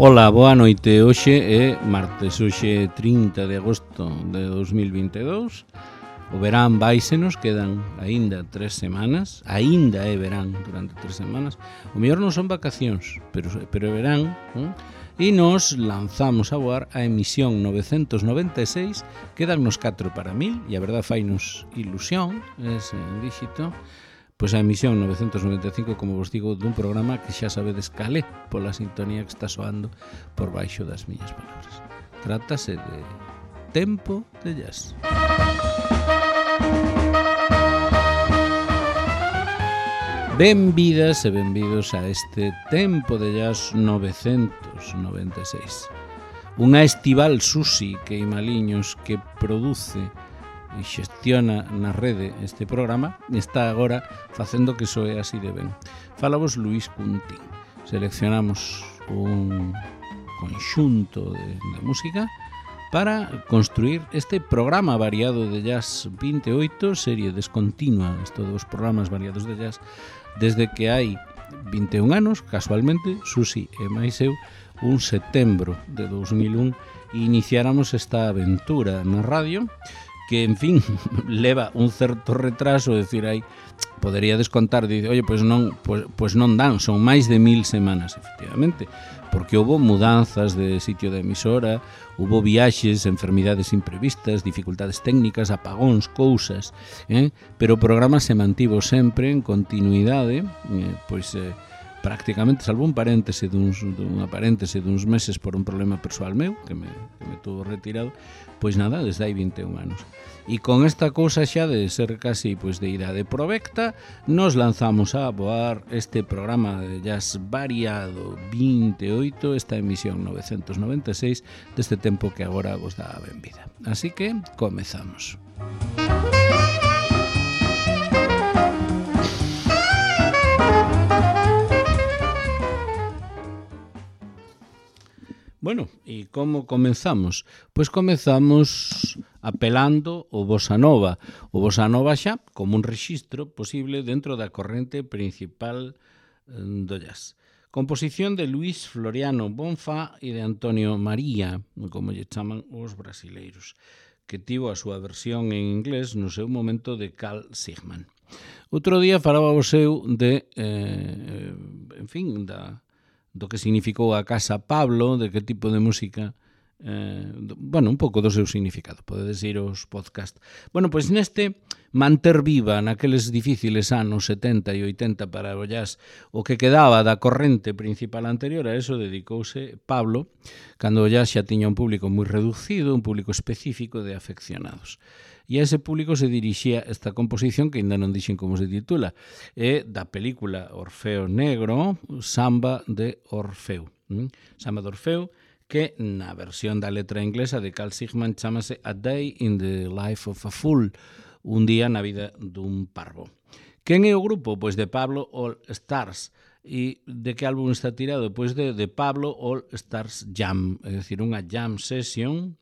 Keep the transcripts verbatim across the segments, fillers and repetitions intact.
Ola, boa noite. Hoxe é martes, hoxe é trinta de agosto de dos mil vinte e dous. O verán váisenos, quedan aínda tres semanas. Aínda é verán durante tres semanas. O mellor non son vacacións, pero, pero é verán. ¿eh? E nos lanzamos a voar a emisión novecentos noventa e seis. Quedan nos catro para mil, e a verdad fainos ilusión ese díxito. Pois a emisión novecentos noventa e cinco, como vos digo, dun programa que xa sabedes calé pola sintonía que está soando por baixo das miñas palabras. Trátase de Tempo de Jazz. Benvidas e benvidos a este Tempo de Jazz novecentos noventa e seis. Unha estival Susi que Imaliños que produce e xestiona na rede este programa está agora facendo que soe así de ben. Falamos Luís Cuntín. Seleccionamos un conxunto de, de música para construir este programa variado de jazz vinte e oito, serie descontinua, estos dos programas variados de jazz, desde que hai vinte e un anos, casualmente, Susi e máis eu, un setembro de dos mil un, iniciáramos esta aventura na radio, que, en fin, leva un certo retraso, decir, aí, podería descontar, dice, oye, pois non, pois, pois non dan, son máis de mil semanas, efectivamente, porque houve mudanzas de sitio de emisora, houve viaxes, enfermidades imprevistas, dificultades técnicas, apagóns, cousas, eh? pero o programa se mantivo sempre en continuidade, eh, pois, eh, prácticamente, salvo un paréntese duns, dunha paréntese duns meses por un problema persoal meu, que me, que me tuvo retirado, pois nada, desde hai vinte e un anos. E con esta cousa xa de ser casi pois, de idade provecta, nos lanzamos a voar este programa de jazz variado vinte e oito, esta emisión novecentos noventa e seis, deste tempo que agora vos dá a benvida. Así que, comezamos. Bueno, e como comenzamos? Pois comezamos apelando o bossa nova. O bossa nova xa como un rexistro posible dentro da corrente principal do jazz. Composición de Luís Floriano Bonfá e de Antonio María, como lle chaman os brasileiros, que tivo a súa versión en inglés no seu momento de Carl Sigman. Outro día falaba o seu de, eh, en fin, da... do que significou a Casa Pablo, de que tipo de música, eh, bueno, un pouco do seu significado, podedes ir aos podcast. Bueno, pois neste manter viva naqueles difíciles anos setenta e oitenta para o jazz o que quedaba da corrente principal anterior, a eso dedicouse Pablo, cando o jazz xa tiña un público moi reducido, un público específico de afeccionados. E a ese público se dirixía esta composición que ainda non dixen como se titula, é da película Orfeo Negro, Samba de Orfeu. ¿Mm? Samba de Orfeu, que na versión da letra inglesa de Carl Sigman chamase A Day in the Life of a Fool, un día na vida dun parvo. Quen é o grupo? Pois de Pablo All Stars. E de que álbum está tirado? Pois de, de Pablo All Stars Jam, é dicir, unha jam session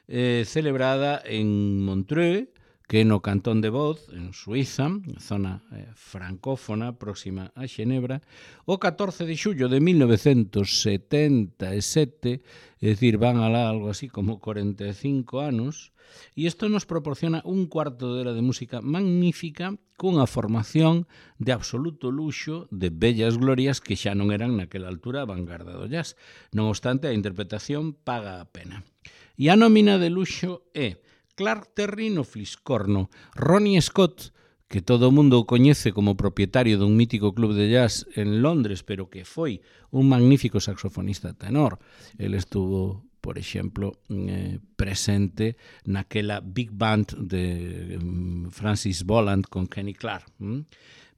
Eh, celebrada en Montreux, que é no Cantón de Vaud, en Suiza, zona eh, francófona próxima a Xenebra, o catorce de xullo de mil novecentos setenta e sete, é dicir, van alá algo así como cuarenta e cinco anos, e isto nos proporciona un cuarto de hora de música magnífica cunha formación de absoluto luxo de bellas glorias que xa non eran naquela altura a vanguarda do jazz. Non obstante, a interpretación paga a pena. E a nómina de luxo é Clark Terry no fliscorno, Ronnie Scott, que todo o mundo coñece como propietario dun mítico club de jazz en Londres, pero que foi un magnífico saxofonista tenor. El estuvo, por exemplo, eh, presente naquela big band de um, Francis Boland con Kenny Clarke. ¿Mm?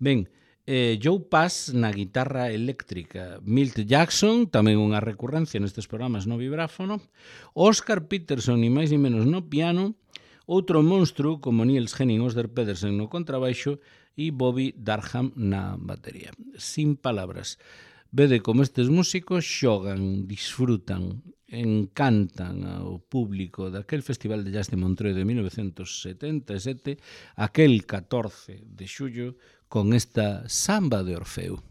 Ben, Eh, Joe Pass na guitarra eléctrica, Milt Jackson, tamén unha recurrencia nestes programas no vibráfono, Oscar Peterson, ni máis ni menos no piano, outro monstro como Niels Henning Osder Pedersen no contrabaixo e Bobby Darham na batería. Sin palabras. Vede como estes músicos xogan, disfrutan, encantan ao público daquel Festival de Jazz de Montreux de mil novecentos setenta e sete, aquel catorce de xullo, con esta Samba de Orfeo.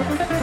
Thank you.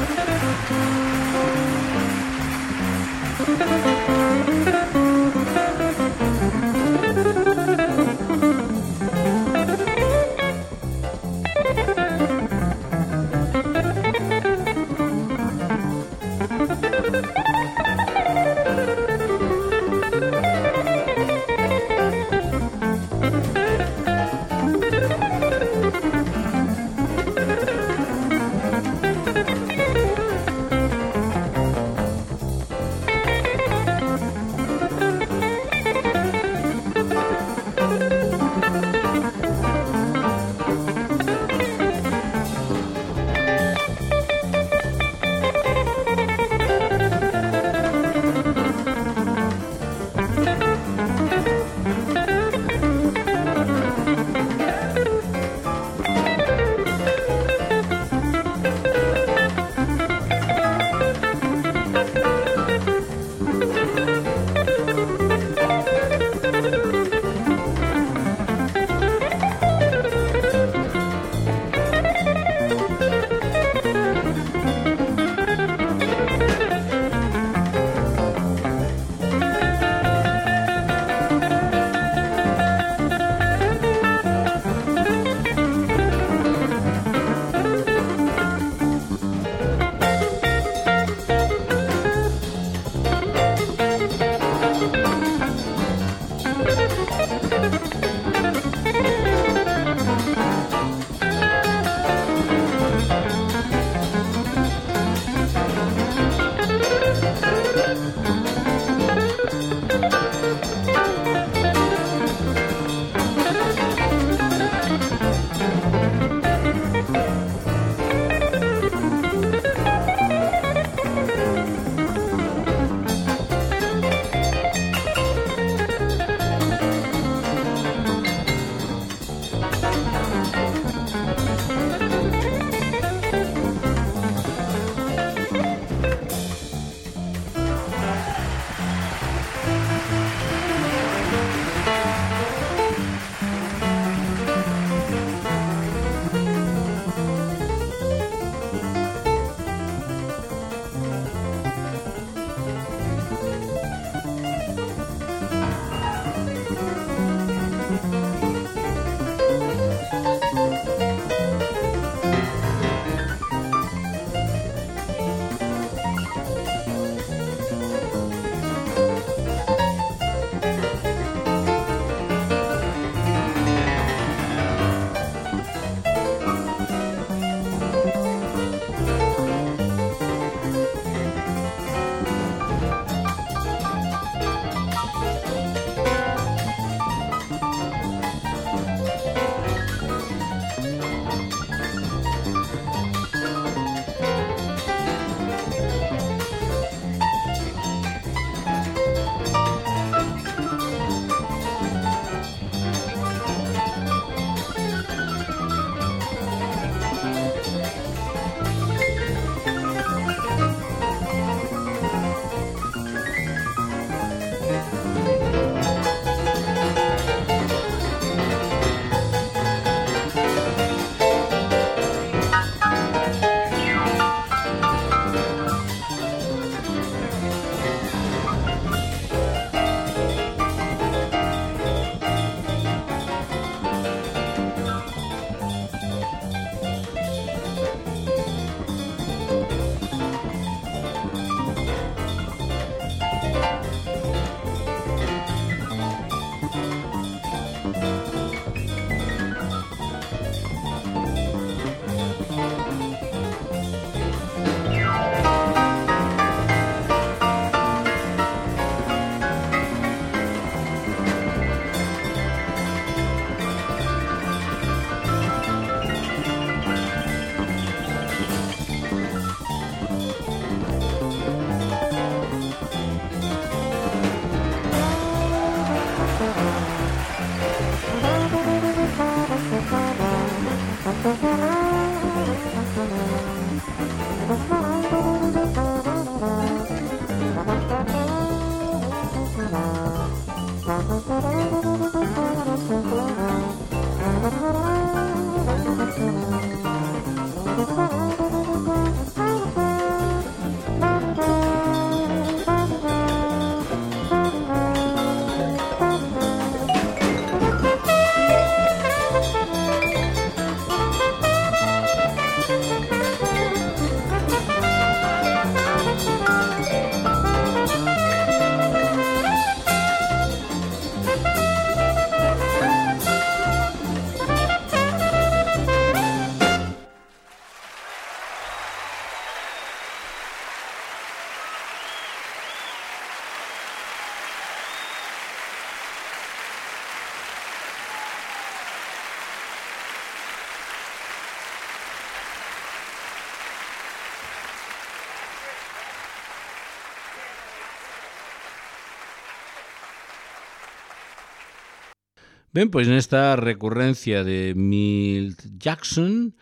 Ben, pois nesta recurrencia de Milt Jackson,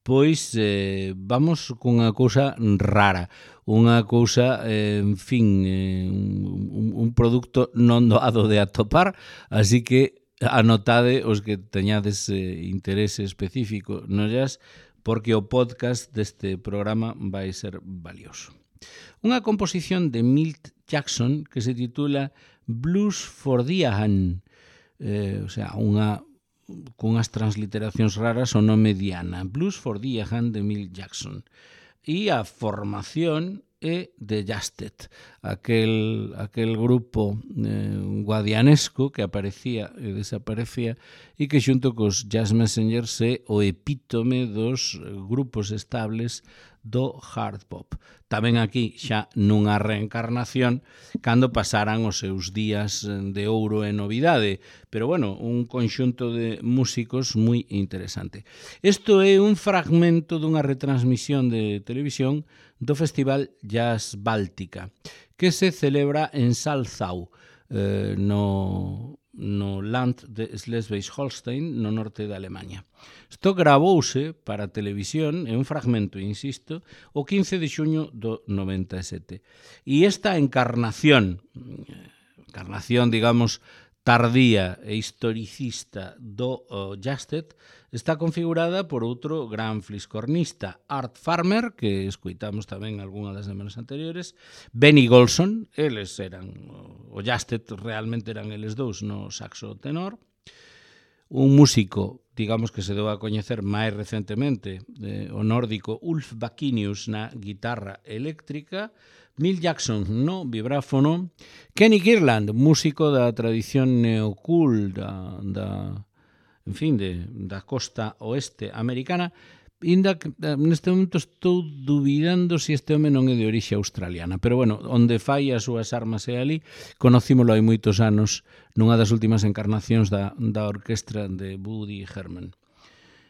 pois eh, vamos cunha cousa rara, unha cousa, eh, en fin, eh, un, un produto non doado de atopar, así que anotade os que teñades eh, interese específico no jazz, porque o podcast deste programa vai ser valioso. Unha composición de Milt Jackson que se titula Blues for Diahan, eh, o sea, unha cunhas transliteracións raras o nome Diana, Blues for Diahan de Milt Jackson. E a formación é de Jastet, aquel, aquel grupo eh, guadianesco que aparecía e desaparecía e que xunto cos Jazz Messengers é o epítome dos grupos estables do hard pop. Tamén aquí xa nunha reencarnación cando pasaran os seus días de ouro e novidade, pero bueno, un conxunto de músicos moi interesante. Isto é un fragmento dunha retransmisión de televisión do Festival Jazz Báltica, que se celebra en Salzau, eh, no, no Land de Schleswig-Holstein, no norte de Alemanha. Isto gravouse para televisión, é un fragmento, insisto, o quince de xuño do noventa e sete. E esta encarnación, encarnación, digamos, tardía e historicista do uh, Jastet está configurada por outro gran fliscornista, Art Farmer, que escoitamos tamén algunha das semanas anteriores, Benny Golson, eles eran, o Jastet realmente eran eles dous no saxo tenor, un músico, digamos que se deu a coñecer máis recentemente, eh, o nórdico Ulf Bakinius na guitarra eléctrica, Milt Jackson no vibráfono, Kenny Kirland, músico da tradición neocool da, da, en fin, de, da costa oeste americana, inda que neste momento estou dubidando se este home non é de orixe australiana, pero bueno, onde fai as súas armas é ali, conocímolo hai moitos anos nunha das últimas encarnacións da, da orquestra de Woody Herman.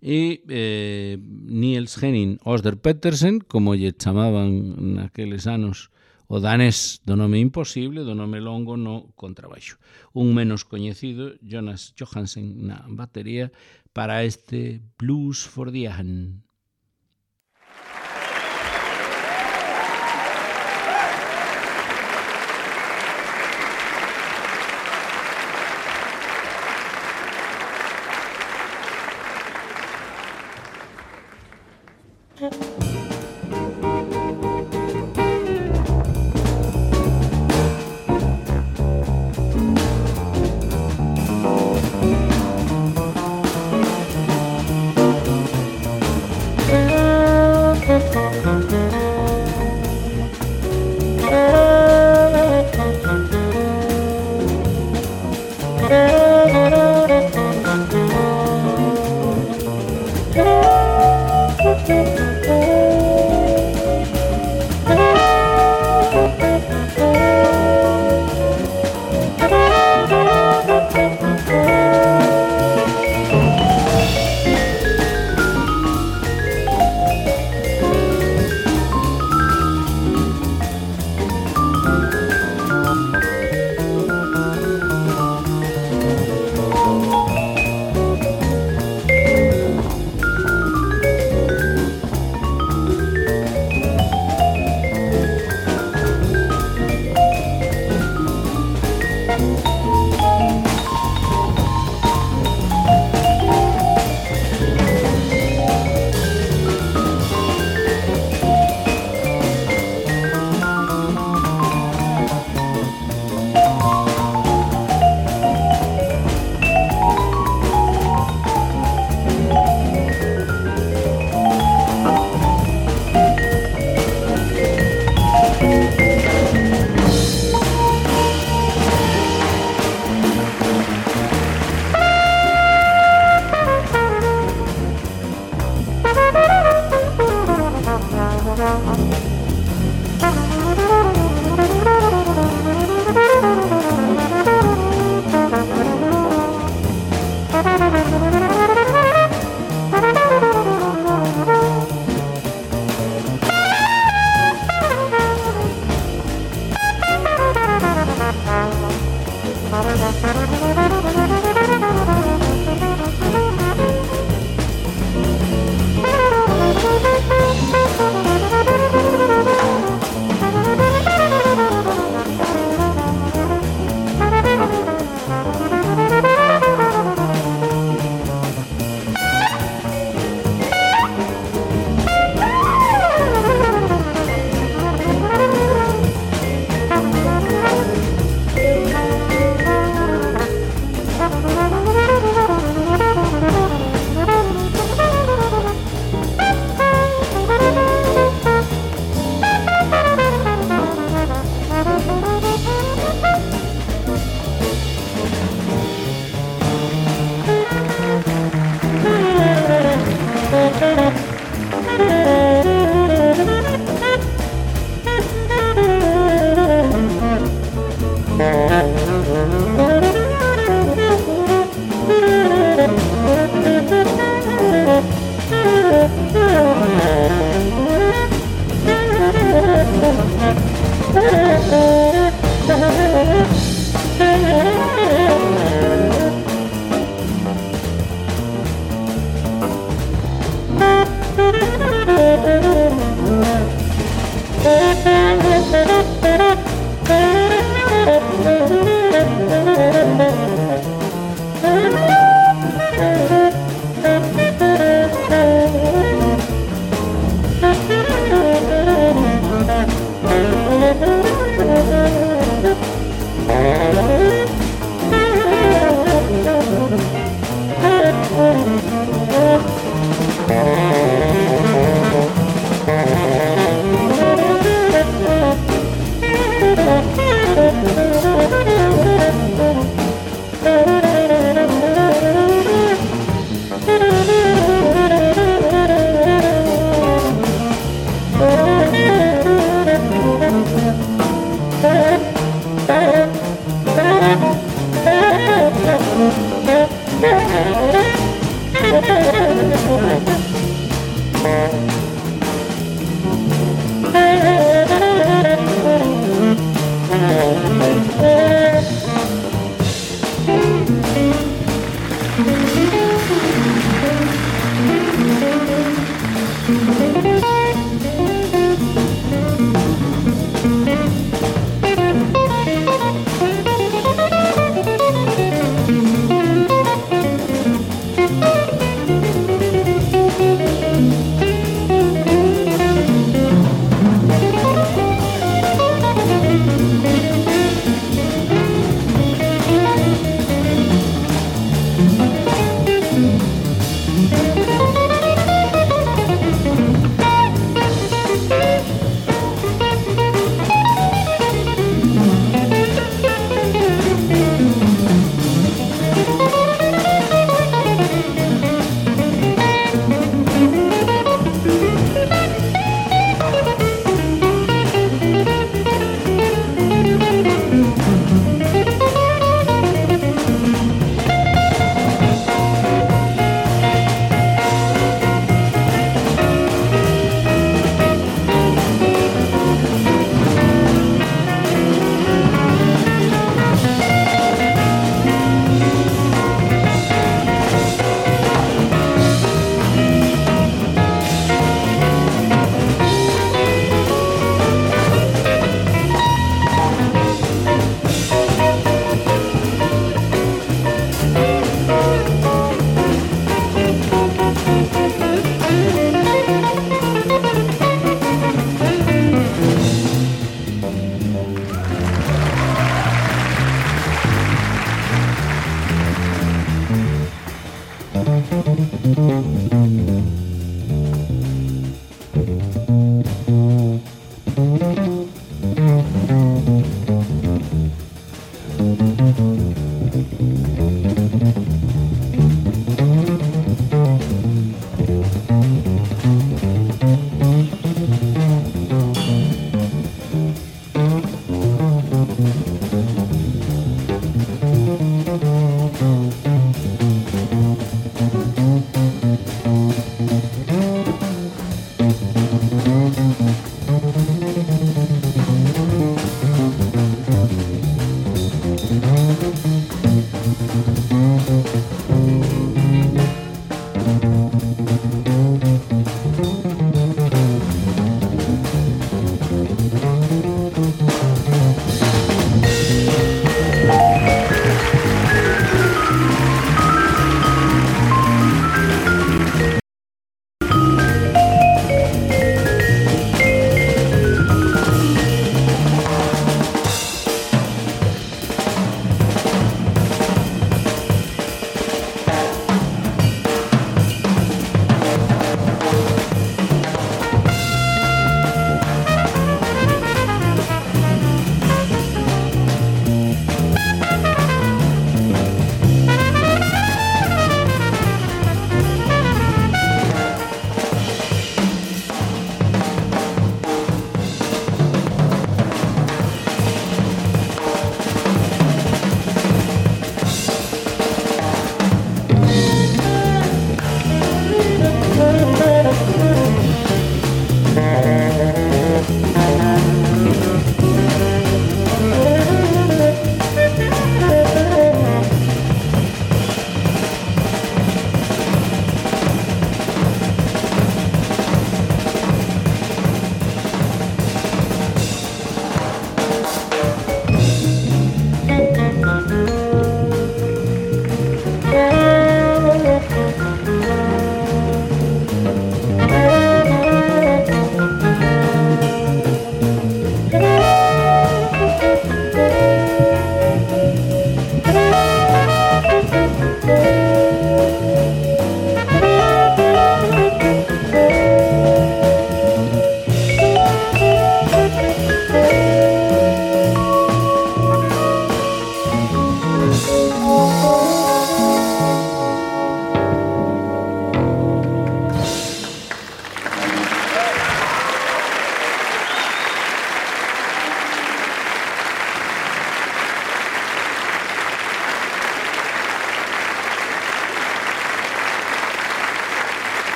E eh, Niels Henning Oster Petersen, como lle chamaban naqueles anos o danés do nome imposible, do nome longo no contrabaixo. Un menos coñecido, Jonas Johansen na batería, para este Blues for Diahan.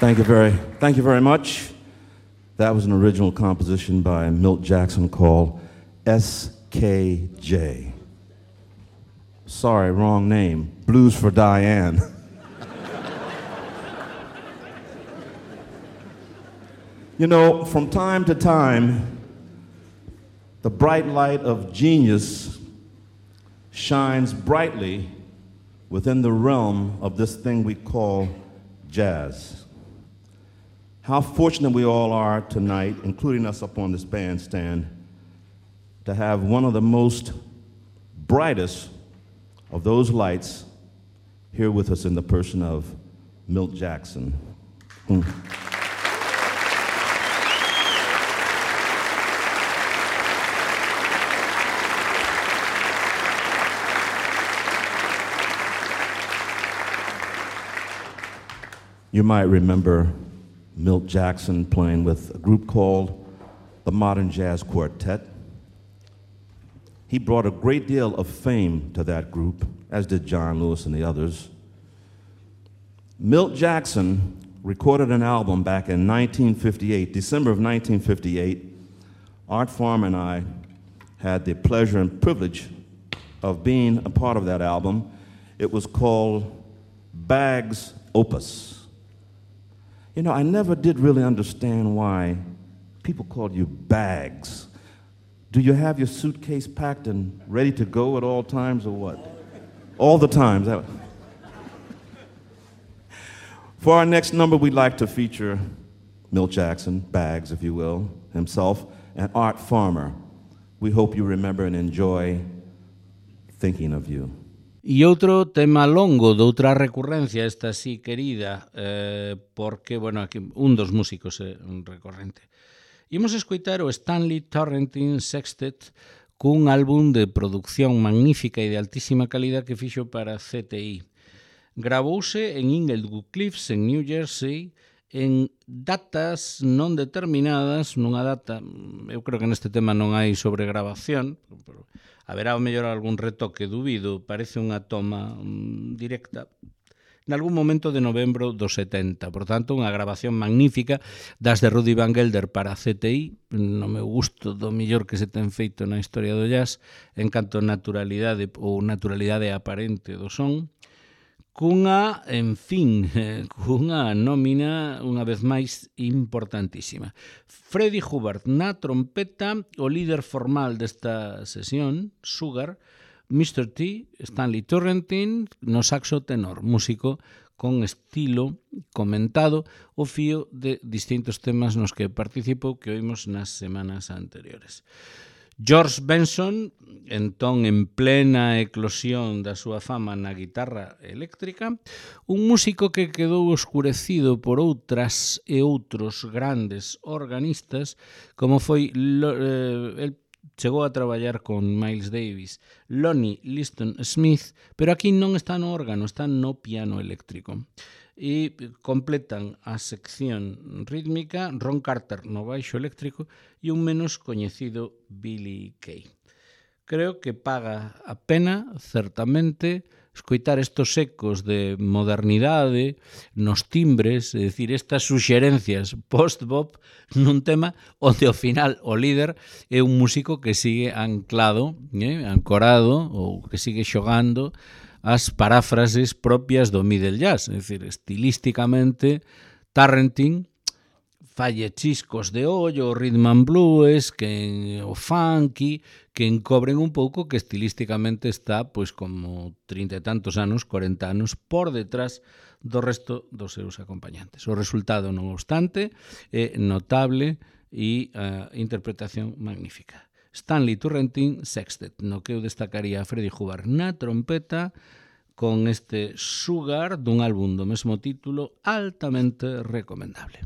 Thank you very, thank you very much. That was an original composition by Milt Jackson called S K J. Sorry, wrong name. Blues for Diane. You know, from time to time, the bright light of genius shines brightly within the realm of this thing we call jazz. How fortunate we all are tonight, including us up on this bandstand, to have one of the most brightest of those lights here with us in the person of Milt Jackson. Mm. You might remember Milt Jackson playing with a group called the Modern Jazz Quartet. He brought a great deal of fame to that group, as did John Lewis and the others. Milt Jackson recorded an album back in nineteen fifty-eight, December of nineteen fifty-eight. Art Farmer and I had the pleasure and privilege of being a part of that album. It was called Bags Opus. You know, I never did really understand why people called you Bags. Do you have your suitcase packed and ready to go at all times or what? All the times. For our next number, we'd like to feature Milt Jackson, Bags, if you will, himself, and Art Farmer. We hope you remember and enjoy Thinking of You. E outro tema longo de outra recurrencia, esta sí querida, eh, porque, bueno, aquí un dos músicos é eh, un recorrente. Imos escoitar o Stanley Torrentine Sextet cun álbum de producción magnífica e de altísima calidad que fixo para C T I. Gravouse en Inglewood Cliffs, en New Jersey, en datas non determinadas, nunha data, eu creo que neste tema non hai sobregrabación, pero haberá o mellor algún retoque, dubido, parece unha toma um, directa, en algún momento de novembro do setenta, por tanto, unha grabación magnífica das de Rudy Van Gelder para C T I, no meu gusto do mellor que se ten feito na historia do jazz, en canto a naturalidade ou naturalidade aparente do son, cunha, en fin, cunha nómina, unha vez máis, importantísima. Freddie Hubbard na trompeta, o líder formal desta sesión, Sugar, mister T, Stanley Torrentine, no saxo tenor, músico con estilo comentado, o fío de distintos temas nos que participou que oímos nas semanas anteriores. George Benson, entón en plena eclosión da súa fama na guitarra eléctrica, un músico que quedou oscurecido por outras e outros grandes organistas, como foi, eh, el chegou a traballar con Miles Davis, Lonnie Liston Smith, pero aquí non está no órgano, está no piano eléctrico. E completan a sección rítmica Ron Carter no baixo eléctrico e un menos coñecido Billy Kay. Creo que paga a pena, certamente, escoitar estos ecos de modernidade nos timbres, é dicir, estas suxerencias post-bop nun tema onde ao final o líder é un músico que sigue anclado, eh, ancorado ou que sigue xogando as paráfrases propias do middle jazz, é dicir, estilísticamente Torrentine falle chiscos de ollo, o rhythm and blues, que o funky, que encobren un pouco que estilísticamente está, pois, como trinta e tantos anos, corenta anos, por detrás do resto dos seus acompañantes. O resultado, non obstante, é notable e a interpretación magnífica. Stanley Torrentine Sextet, no que eu destacaría a Freddie Hubbard na trompeta, con este Sugar dun álbum do mesmo título, altamente recomendable.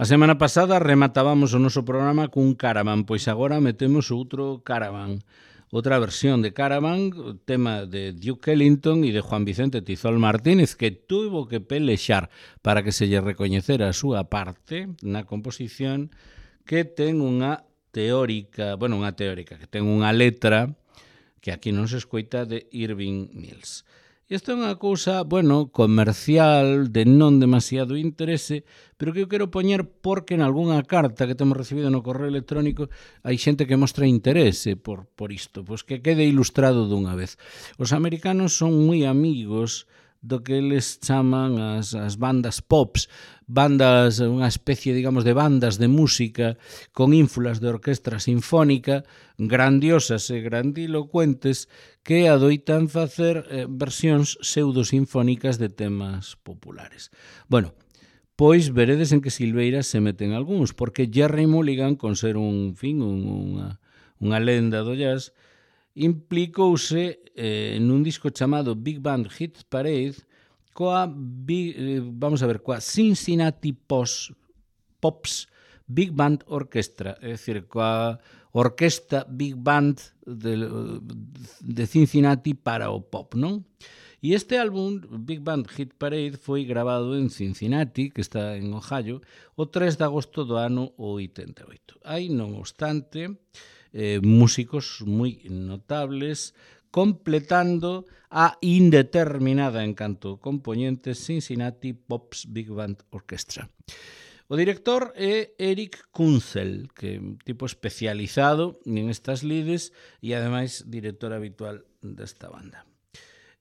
A semana pasada rematábamos o noso programa cun Caravan, pois agora metemos outro Caravan, outra versión de Caravan, o tema de Duke Ellington e de Juan Vicente Tizol Martínez, que tuvo que pelexar para que se lle recoñecera a súa parte na composición, que ten unha teórica, bueno, unha teórica, que ten unha letra que aquí non se escoita, de Irving Mills. Isto é unha cousa, bueno, comercial, de non demasiado interese, pero que eu quero poñer porque en algunha carta que temos recibido no correo electrónico hai xente que mostra interese por, por isto, pois que quede ilustrado dunha vez. Os americanos son moi amigos do que eles chaman as, as bandas pops, bandas, unha especie, digamos, de bandas de música con ínfulas de orquestra sinfónica, grandiosas e grandilocuentes, que adoitan facer eh, versións pseudosinfónicas de temas populares. Bueno, pois veredes en que silveiras se meten algúns, porque Gerry Mulligan, con ser un, fin, un, unha, unha lenda do jazz, implicouse eh, nun disco chamado Big Band Hit Parade coa, big, eh, vamos a ver, coa Cincinnati Pops, Pops Big Band Orchestra, é dicir, coa orquesta Big Band de, de Cincinnati para o pop, non? E este álbum, Big Band Hit Parade, foi grabado en Cincinnati, que está en Ohio, o tres de agosto do ano oitenta e oito. Hai, non obstante, eh, músicos moi notables, completando a indeterminada en canto componente Cincinnati Pops Big Band Orchestra. O director é Eric Kunzel, que é un tipo especializado en estas lides e ademais director habitual desta banda.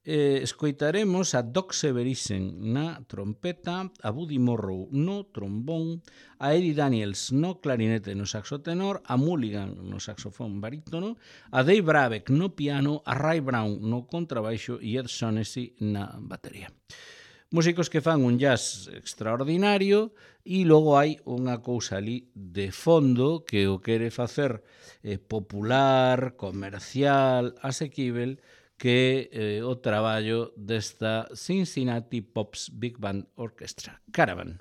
Eh, escoitaremos a Doc Severissen na trompeta, a Buddy Morrow no trombón, a Eddie Daniels no clarinete e no saxo tenor, a Mulligan no saxofón barítono, a Dave Brabeck no piano, a Ray Brown no contrabaixo e Ed Shaughnessy na batería. Músicos que fan un jazz extraordinario e logo hai unha cousa ali de fondo que o quere facer eh, popular, comercial, asequível, que é eh, o traballo desta Cincinnati Pops Big Band Orchestra, Caravan.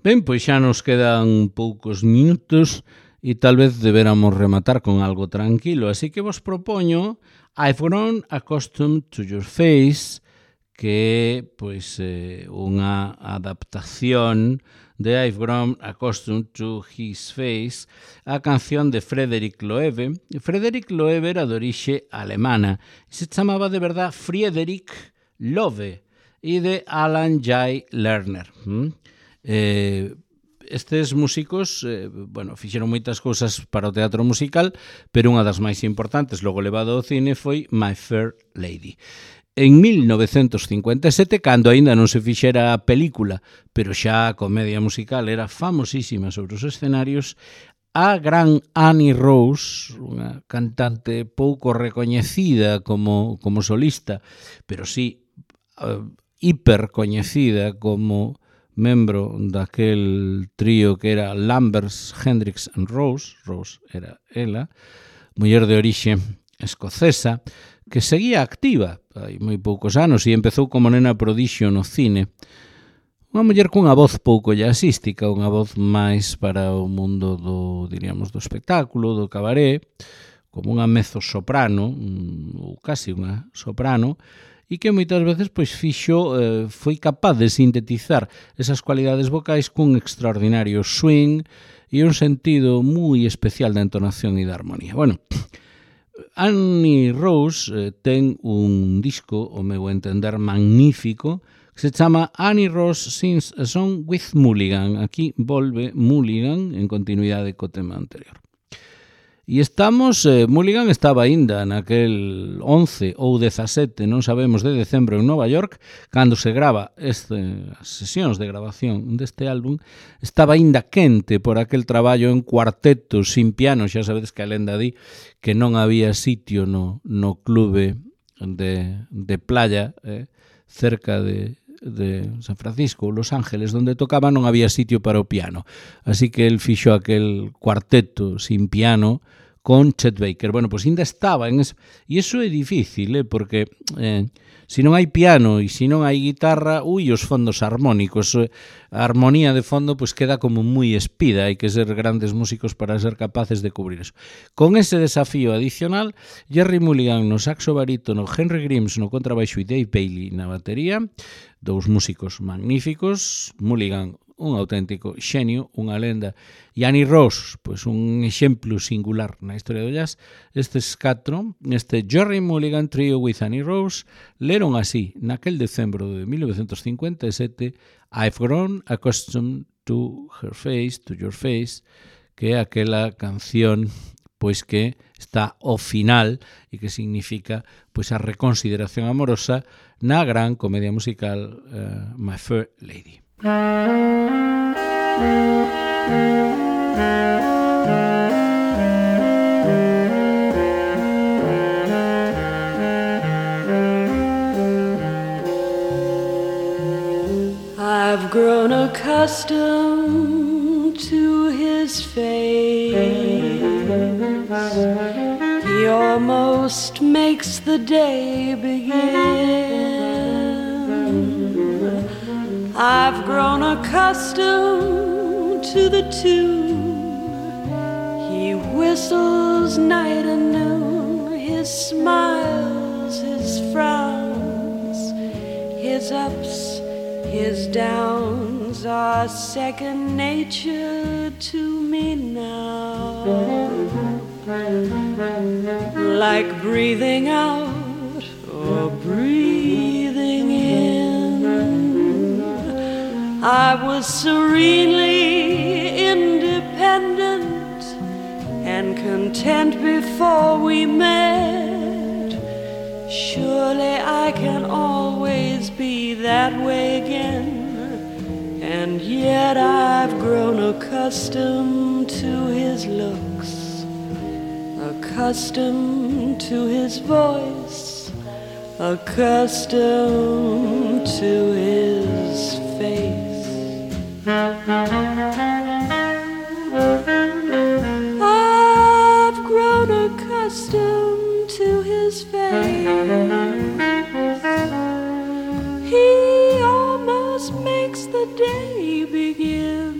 Ben, pois xa nos quedan poucos minutos e tal vez deberamos rematar con algo tranquilo, así que vos propoño I've Grown Accustomed to Your Face, que é pois, eh, unha adaptación de I've Grown Accustomed to His Face, a canción de Frederick Loewe. Frederick Loewe era de orixe alemana e se chamaba de verdad Friedrich Loewe e de Alan Jay Lerner. ¿Mm? Eh, estes músicos eh, bueno, fixeron moitas cousas para o teatro musical, pero unha das máis importantes logo levado ao cine foi My Fair Lady. En mil novecentos cincuenta e sete, cando aínda non se fixera a película, pero xa a comedia musical era famosísima sobre os escenarios, a gran Annie Rose, unha cantante pouco recoñecida como, como solista, pero sí uh, hiper coñecida como membro daquel trío que era Lambers, Hendrix and Rose, Rose era ela, muller de orixe escocesa, que seguía activa hai moi poucos anos e empezou como nena prodixio no cine. Unha muller cunha voz pouco jazzística, unha voz máis para o mundo do, diríamos, do espectáculo, do cabaré, como unha mezzo-soprano, ou casi unha soprano, e que moitas veces pois fixo, eh, foi capaz de sintetizar esas cualidades vocais cun extraordinario swing e un sentido moi especial da entonación e da armonía. Bueno, Annie Rose eh, ten un disco, o meu entender, magnífico, que se chama Annie Rose Sings a Song with Mulligan. Aquí volve Mulligan en continuidade co tema anterior. E estamos, eh, Mulligan estaba aínda naquel once ou dezasete, non sabemos, de decembro en Nova York, cando se grava este, as sesións de grabación deste álbum, estaba aínda quente por aquel traballo en cuarteto sin piano. Xa sabedes que a lenda di que non había sitio no, no clube de, de playa, eh, cerca de, de San Francisco ou Los Ángeles, onde tocaba, non había sitio para o piano. Así que el fixo aquel cuarteto sin piano con Chet Baker. Bueno, pois ainda estaba en ese... E iso é difícil, eh, porque eh, se non hai piano e se non hai guitarra, ui, os fondos armónicos, a armonía de fondo pois queda como moi espida, hai que ser grandes músicos para ser capaces de cubrir eso. Con ese desafío adicional, Jerry Mulligan no saxo barítono, Henry Grimes no contrabaixo e Dave Bailey na batería, dous músicos magníficos, Mulligan un auténtico xenio, unha lenda. E Annie Rose, pois un exemplo singular na historia do jazz. Estes catro, este Gerry Mulligan Trio with Annie Rose, leron así, naquel decembro de mil novecientos cincuenta e sete, I've grown accustomed to her face, to your face, que é aquela canción pois que está ao final e que significa pois a reconsideración amorosa na gran comedia musical uh, My Fair Lady. I've grown accustomed to his face. He almost makes the day begin. I've grown accustomed to the tune he whistles night and noon. His smiles, his frowns, his ups, his downs are second nature to me now. Like breathing out or breathing in, I was serenely independent and content before we met. Surely I can always be that way again. And yet I've grown accustomed to his looks, accustomed to his voice, accustomed to his face. I've grown accustomed to his face. He almost makes the day begin.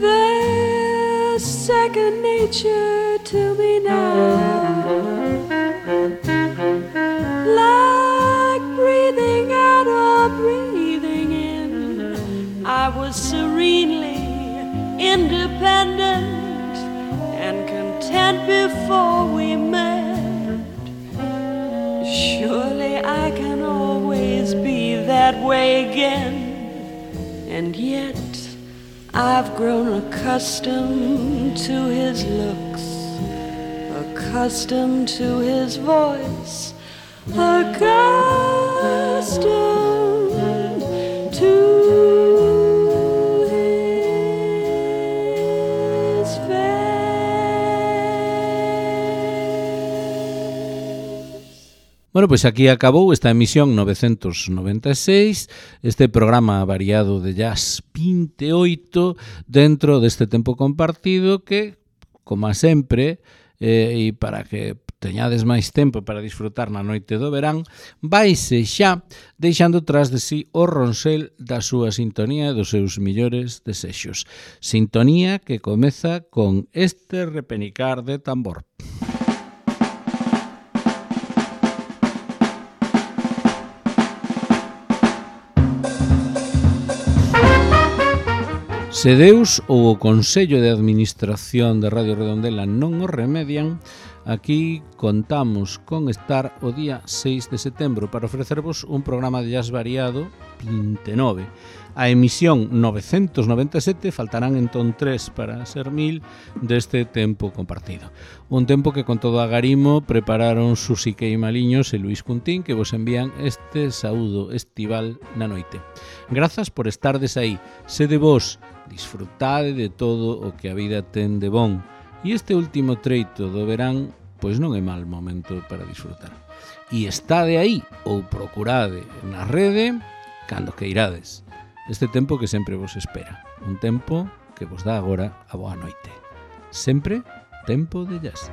There's second nature to me now. I was serenely independent and content before we met. Surely I can always be that way again. And yet I've grown accustomed to his looks, accustomed to his voice, accustomed to Bueno, pois aquí acabou esta emisión novecentos noventa e seis, este programa variado de jazz vinte e oito dentro deste tempo compartido que, como sempre, eh, e para que teñades máis tempo para disfrutar na noite do verán, vaise xa deixando tras de si o ronsel da súa sintonía e dos seus millores desexos. Sintonía que comeza con este repenicar de tambor. Se Deus ou o Consello de Administración de Radio Redondela non o remedian, aquí contamos con estar o día seis de setembro para ofrecervos un programa de jazz variado vinte e nove. A emisión novecentos noventa e sete faltarán entón tres para ser mil deste tempo compartido. Un tempo que con todo agarimo prepararon Susi Queimaliños e Luís Cuntín, que vos envían este saúdo estival na noite. Grazas por estardes aí. Sede vos, disfrutade de todo o que a vida ten de bon. E este último treito do verán, pois non é mal momento para disfrutar. E estade aí, ou procurade na rede, cando que irades. Este tempo que sempre vos espera. Un tempo que vos dá agora a boa noite. Sempre tempo de jazz.